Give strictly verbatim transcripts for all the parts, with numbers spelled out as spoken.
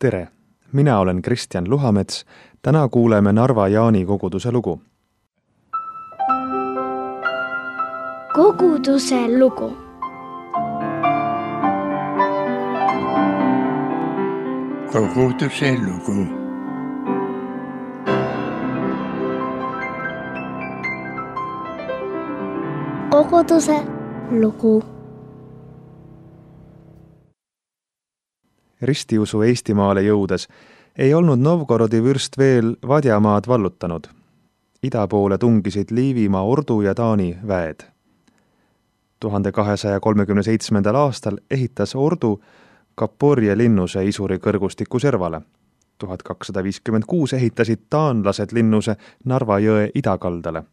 Tere! Mina olen Kristjan Luhamets. Täna kuuleme Narva Jaani koguduse lugu. Koguduse lugu. Koguduse lugu. Koguduse lugu. Ristiusu Eestimaale jõudes ei olnud Novgorodi vürst veel Vadjamaad vallutanud. Ida poole tungisid Liivimaa ordu ja Taani väed. tuhande kahesaja kolmekümne seitsmendal aastal ehitas ordu Kaporje linnuse Isuri kõrgustiku servale. tuhat kakssada viiskümmend kuus ehitasid taanlased linnuse Narva jõe idakaldale.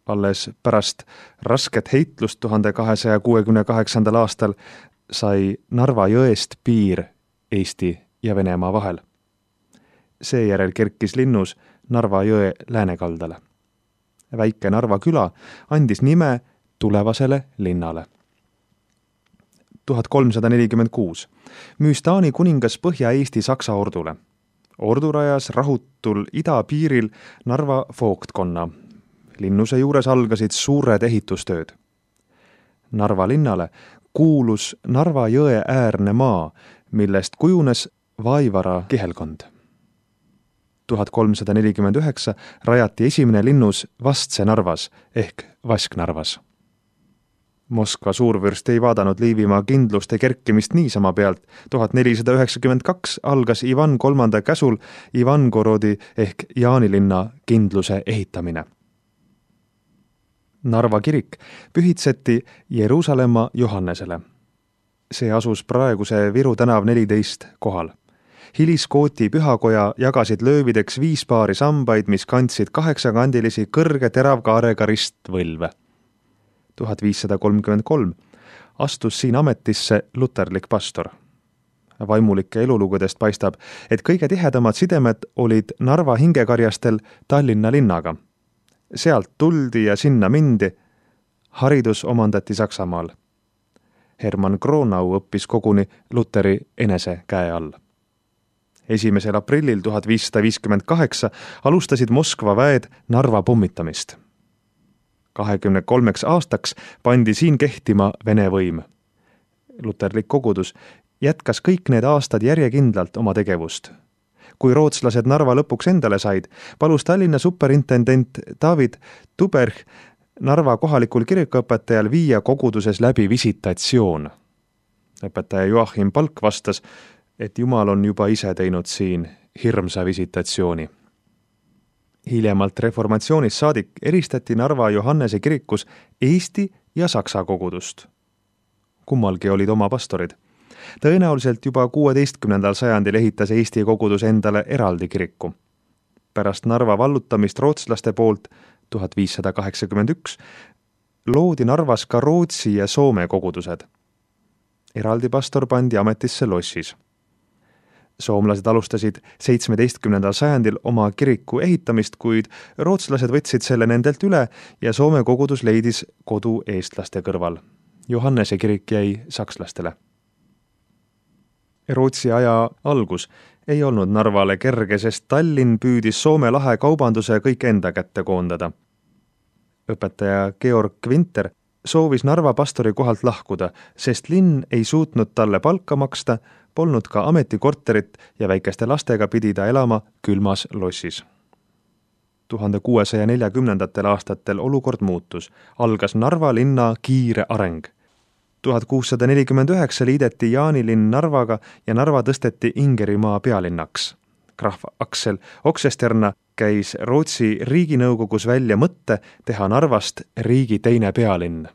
Alles pärast rasket heitlust tuhande kahesaja kuuekümne kaheksandal aastal sai Narva jõest piir Eesti ja Venemaa vahel. Seejärel kerkis linnus Narva jõe läänekaldale. Väike Narva küla andis nime tulevasele linnale. tuhat kolmsada nelikümmend kuus müüs Taani kuningas Põhja-Eesti Saksa ordule. Ordu rajas rahutul idapiiril Narva voogtkonna. Linnuse juures algasid suured ehitustööd. Narva linnale kuulus Narva jõe äärne maa, millest kujunes Vaivara kihelkond. tuhat kolmsada nelikümmend üheksa rajati esimene linnus Vastse-Narvas ehk Vasknarvas. Moskva suurvürst ei vaadanud Liivimaa kindluste kerkimist niisama pealt. tuhat nelisada üheksakümmend kaks algas Ivan kolmanda käsul Ivangorodi ehk Jaanilinna kindluse ehitamine. Narva kirik pühitseti Jeruusalemma Johannesele. See asus praeguse Viru tänav neliteist kohal. Hiliskooti pühakoja jagasid löövideks viis paari sambaid, mis kandsid kaheksakandilisi kõrge teravkaarega ristvõlve. tuhat viissada kolmkümmend kolm astus siin ametisse luterlik pastor. Vaimulike elulugudest paistab, et kõige tihedamad sidemed olid Narva hingekarjastel Tallinna linnaga. Sealt tuldi ja sinna mindi. Haridus omandati Saksamaal. Hermann Kronau õppis koguni Luteri enese käe all. esimesel aprillil tuhat viissada viiskümmend kaheksa alustasid Moskva väed Narva pommitamist. kahekümne kolmeks aastaks pandi siin kehtima Vene võim. Luterlik kogudus jätkas kõik need aastad järjekindlalt oma tegevust. Kui rootslased Narva lõpuks endale said, palus Tallinna superintendent David Tuberg Narva kohalikul kirikuõpetajal viia koguduses läbi visitatsioon. Õpetaja Joachim Palk vastas, et Jumal on juba ise teinud siin hirmsa visitatsiooni. Hiljemalt reformatsioonist saadik eristati Narva Johannese kirikus Eesti ja Saksa kogudust. Kummalgi olid oma pastorid. Tõenäoliselt juba kuueteistkümnendal sajandil ehitas Eesti kogudus endale eraldi kiriku. Pärast Narva vallutamist rootslaste poolt tuhat viissada kaheksakümmend üks loodi Narvas ka Rootsi ja Soome kogudused. Eraldi pastor pandi ametisse Lossis. Soomlased alustasid seitsmeteistkümnendal sajandil oma kiriku ehitamist, kuid rootslased võtsid selle nendelt üle ja Soome kogudus leidis kodu eestlaste kõrval. Johannese kirik jäi sakslastele. Rootsi aja algus ei olnud Narvale kerge, sest Tallinn püüdis Soome lahe kaubanduse kõik enda kätte koondada. Õpetaja Georg Winter soovis Narva pastori kohalt lahkuda, sest linn ei suutnud talle palka maksta, polnud ka ametikorterit ja väikeste lastega pidi ta elama külmas Lossis. tuhande kuuesaja neljakümnendatel aastatel olukord muutus, algas Narva linna kiire areng. tuhat kuussada nelikümmend üheksa liideti Jaanilinn Narvaga ja Narva tõsteti Ingerimaa pealinnaks. Graf Aksel Oksesterna käis Rootsi riiginõukogus välja mõtte teha Narvast riigi teine pealinn.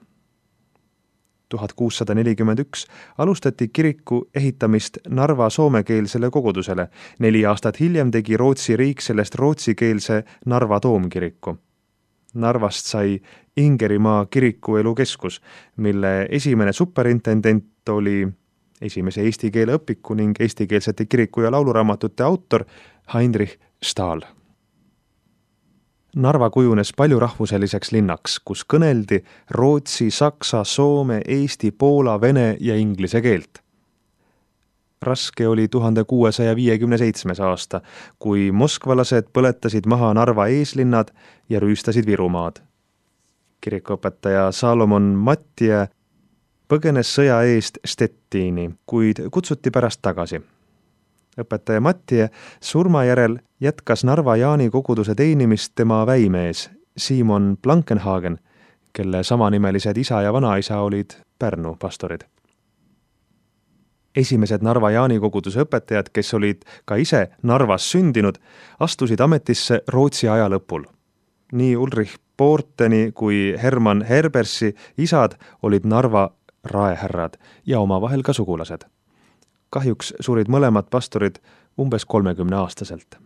tuhat kuussada nelikümmend üks alustati kiriku ehitamist Narva soomekeelsele kogudusele. Neli aastat hiljem tegi Rootsi riik sellest rootsikeelse Narva toomkiriku. Narvast sai Ingerimaa kirikuelu keskus, mille esimene superintendent oli esimese eesti keele õpiku ning eestikeelsete kiriku- ja lauluraamatute autor Heinrich Stahl. Narva kujunes paljurahvuseliseks linnaks, kus kõneldi rootsi, saksa, soome, eesti, poola, vene ja inglise keelt. Raske oli tuhande kuuesaja viiekümne seitsmes aasta, kui moskvalased põletasid maha Narva eeslinnad ja rüüstasid Virumaad. Kirikuõpetaja Salomon Mattie põgenes sõja eest Stettiini, kuid kutsuti pärast tagasi. Õpetaja Mattie surma järel jätkas Narva Jaani koguduse teenimist tema väimees Simon Blankenhagen, kelle samanimelised isa ja vanaisa olid Pärnu pastorid. Esimesed Narva Jaani koguduse õpetajad, kes olid ka ise Narvas sündinud, astusid ametisse Rootsi aja lõpul. Nii Ulrich Porteni kui Hermann Herbersi isad olid Narva raehärrad ja omavahel ka sugulased. Kahjuks surid mõlemad pastorid umbes kolmekümne aastaselt.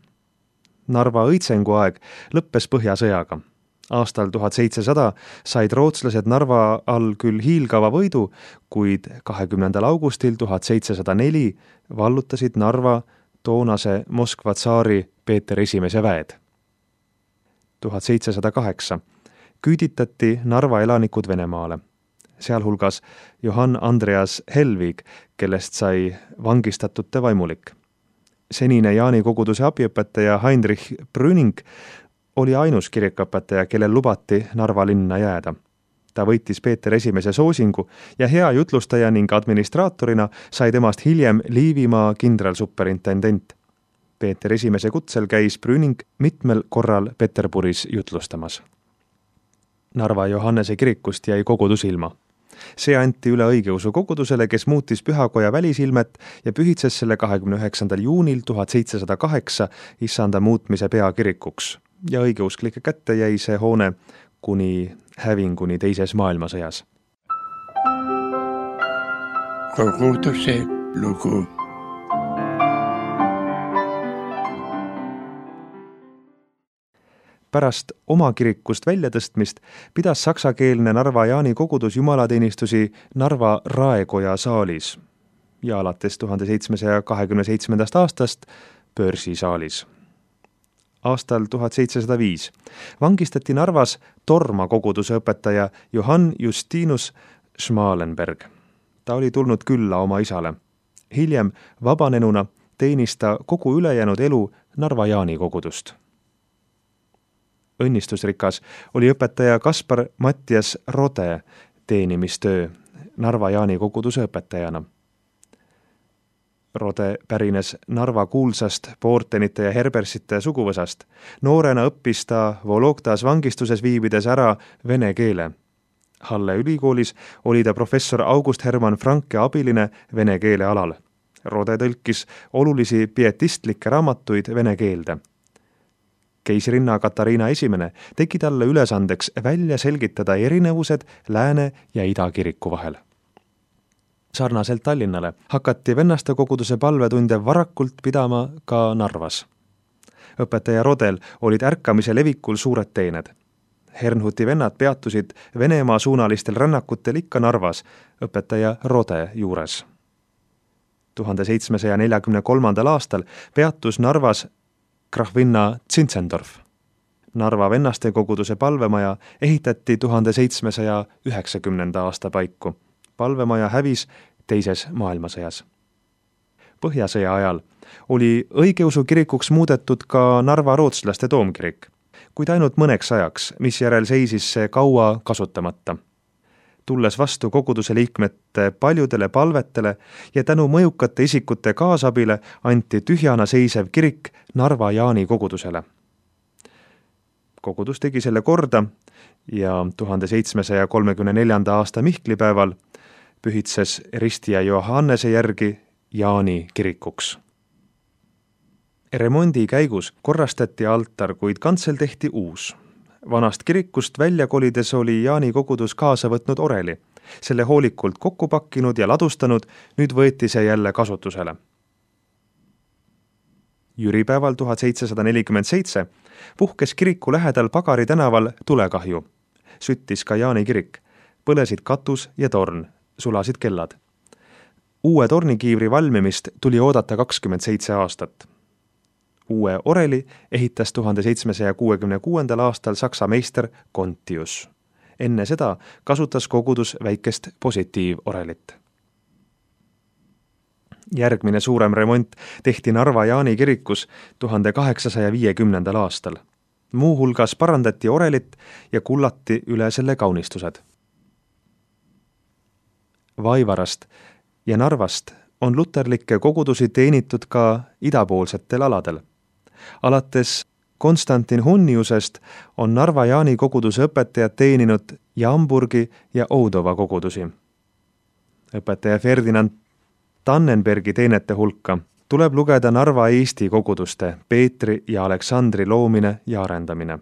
Narva õitsengu aeg lõppes Põhjasõjaga. Aastal tuhat seitsesada said rootslased Narva all küll hiilgava võidu, kuid kahekümnendal augustil tuhat seitsesada neli vallutasid Narva toonase Moskva tsaari Peeter Esimese väed. tuhat seitsesada kaheksa küüditati Narva elanikud Venemaale, sealhulgas Johann Andreas Helvig, kellest sai vangistatute vaimulik. Senine Jaani koguduse abiõpetaja Heinrich Brüning oli ainus kirikuõpetaja, kellel lubati Narva linna jääda. Ta võitis Peeter Esimese soosingu ja hea jutlustaja ning administraatorina sai temast hiljem Liivimaa kindralsuperintendent. Peeter Esimese kutsel käis Brüning mitmel korral Peterburis jutlustamas. Narva Johannese kirikust jäi kogudus ilma. See anti üle õigeusu kogudusele, kes muutis pühakoja välisilmet ja pühitses selle kahekümne üheksandal juunil tuhat seitsesada kaheksa issanda muutmise peakirikuks. Ja õigeusklike kätte jäi see hoone kuni hävinguni teises maailmasõjas. Koguduse lugu. Pärast oma kirikust väljatõstmist pidas saksakeelne Narva Jaani kogudus jumalateenistusi Narva Raekoja saalis ja alates tuhande seitsmesaja kahekümne seitsmendast aastast Pöörsi saalis. Aastal tuhat seitsesada viis vangistati Narvas Torma koguduse õpetaja Johann Justinus Schmalenberg. Ta oli tulnud külla oma isale. Hiljem vabanenuna teenis ta kogu ülejäänud elu Narva Jaani kogudust. Õnnistusrikas oli õpetaja Kaspar Mattias Rode teenimistöö Narva Jaani koguduse õpetajana. Rode pärines Narva kuulsast Portenite ja Herbersite suguvõsast. Noorena õppis ta Vologdas vangistuses viibides ära vene keele. Halle ülikoolis oli ta professor August Hermann Franke abiline vene keele alal. Rode tõlkis olulisi pietistlikke raamatuid vene keelde. Keisrinna Katariina Esimene tegi talle ülesandeks välja selgitada erinevused Lääne- ja Ida-kiriku vahel. Sarnaselt Tallinnale hakati vennaste koguduse palvetunde varakult pidama ka Narvas. Õpetaja Rodel olid ärkamise levikul suured teened. Hernhuti vennad peatusid Venemaa suunalistel rännakutel ikka Narvas õpetaja Rode juures. tuhande seitsmesaja neljakümne kolmandal aastal peatus Narvas Krahvinna Zinzendorf. Narva vennaste koguduse palvemaja ehitati tuhande seitsmesaja üheksakümnenda aasta paiku. Palvemaja hävis teises maailmasõjas. Põhjasõja ajal oli õigeusu kirikuks muudetud ka Narva rootslaste toomkirik, kuid ainult mõneks ajaks, mis järel seisis see kaua kasutamata. Tulles vastu koguduse liikmete paljudele palvetele ja tänu mõjukate isikute kaasabile anti tühjana seisev kirik Narva Jaani kogudusele. Kogudus tegi selle korda ja tuhande seitsmesaja kolmekümne neljanda aasta Mihklipäeval pühitses Ristia Johannese järgi Jaani kirikuks. Remondi käigus korrastati altar, kuid kantsel tehti uus. Vanast kirikust välja kolides oli Jaani kogudus kaasa võtnud oreli. Selle hoolikult kokku pakkinud ja ladustanud, nüüd võeti see jälle kasutusele. Jüripäeval tuhat seitsesada nelikümmend seitse puhkes kiriku lähedal Pagari tänaval tulekahju. Süttis ka Jaani kirik. Põlesid katus ja torn, sulasid kellad. Uue tornikiivri valmimist tuli oodata kakskümmend seitse aastat. Uue oreli ehitas tuhande seitsmesaja kuuekümne kuuendal aastal saksa meister Kontius. Enne seda kasutas kogudus väikest positiivorelit. Järgmine suurem remont tehti Narva Jaani kirikus tuhande kaheksasaja viiekümnendal aastal. Muu hulgas parandati orelit ja kullati üle selle kaunistused. Vaivarast ja Narvast on luterlikke kogudusi teenitud ka idapoolsetel aladel. Alates Konstantin Hunniusest on Narva Jaani koguduse õpetajad teeninud Jamburgi ja Oudova kogudusi. Õpetaja Ferdinand Tannenbergi teenete hulka tuleb lugeda Narva Eesti koguduste Peetri ja Aleksandri loomine ja arendamine.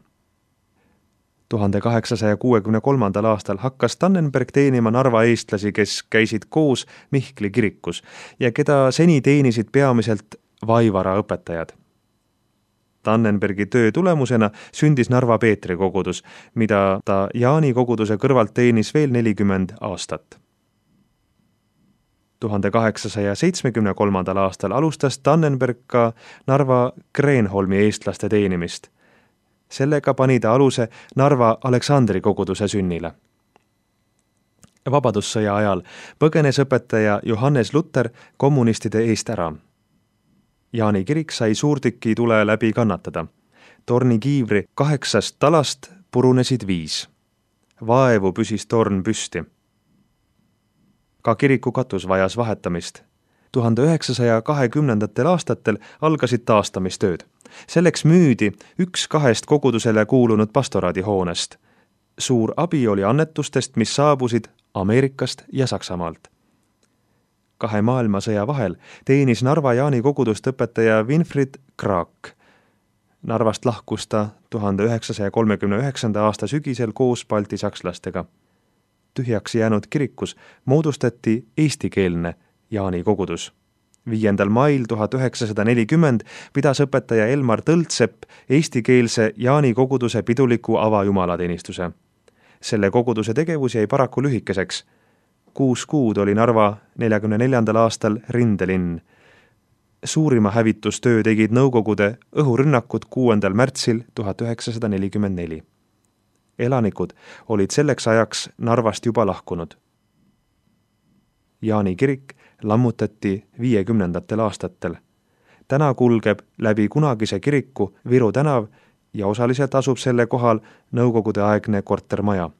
tuhande kaheksasaja kuuekümne kolmandal aastal hakkas Tannenberg teenima Narva eestlasi, kes käisid koos Mihkli kirikus ja keda seni teenisid peamiselt Vaivara õpetajad. Tannenbergi töö tulemusena sündis Narva Peetri kogudus, mida ta Jaani koguduse kõrvalt teenis veel nelikümmend aastat. tuhande kaheksasaja seitsmekümne kolmandal aastal alustas Tannenberg ka Narva Kreenholmi eestlaste teenimist. Sellega pani ta aluse Narva Aleksandri koguduse sünnile. Vabadussõja ajal põgenes õpetaja Johannes Luter kommunistide eest ära. Jaani kirik sai suurtüki tule läbi kannatada. Torni kiivri kaheksast talast purunesid viis. Vaevu püsis torn püsti. Ka kiriku katus vajas vahetamist. tuhande üheksasaja kahekümnendatel aastatel algasid taastamistööd. Selleks müüdi üks kahest kogudusele kuulunud pastoraadihoonest. Suur abi oli annetustest, mis saabusid Ameerikast ja Saksamaalt. Kahe maailmasõja vahel teenis Narva Jaani kogudust õpetaja Winfried Kraak. Narvast lahkus ta tuhande üheksasaja kolmekümne üheksanda aasta sügisel koos balti sakslastega. Tühjaks jäänud kirikus moodustati eestikeelne Jaani kogudus. viiendal mail tuhat üheksasada nelikümmend pidas õpetaja Elmar Tõltsepp eestikeelse Jaani koguduse piduliku avajumalateenistuse. Selle koguduse tegevus jäi paraku lühikeseks. Kuus kuud oli Narva neljakümne neljandal aastal rindelinn. Suurima hävitustöö tegid Nõukogude õhurünnakud kuuendal märtsil tuhat üheksasada nelikümmend neli. Elanikud olid selleks ajaks Narvast juba lahkunud. Jaani kirik lammutati viiekümnendatel aastatel. Täna kulgeb läbi kunagise kiriku Viru tänav ja osaliselt asub selle kohal Nõukogude aegne kortermaja.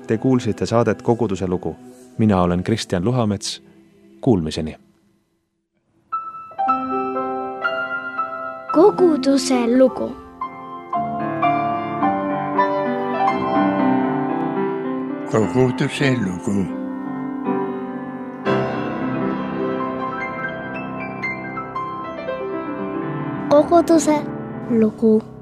Te kuulsite saadet Koguduse lugu. Mina olen Kristjan Luhamets. Kuulmiseni. Koguduse lugu. Koguduse lugu. Koguduse lugu.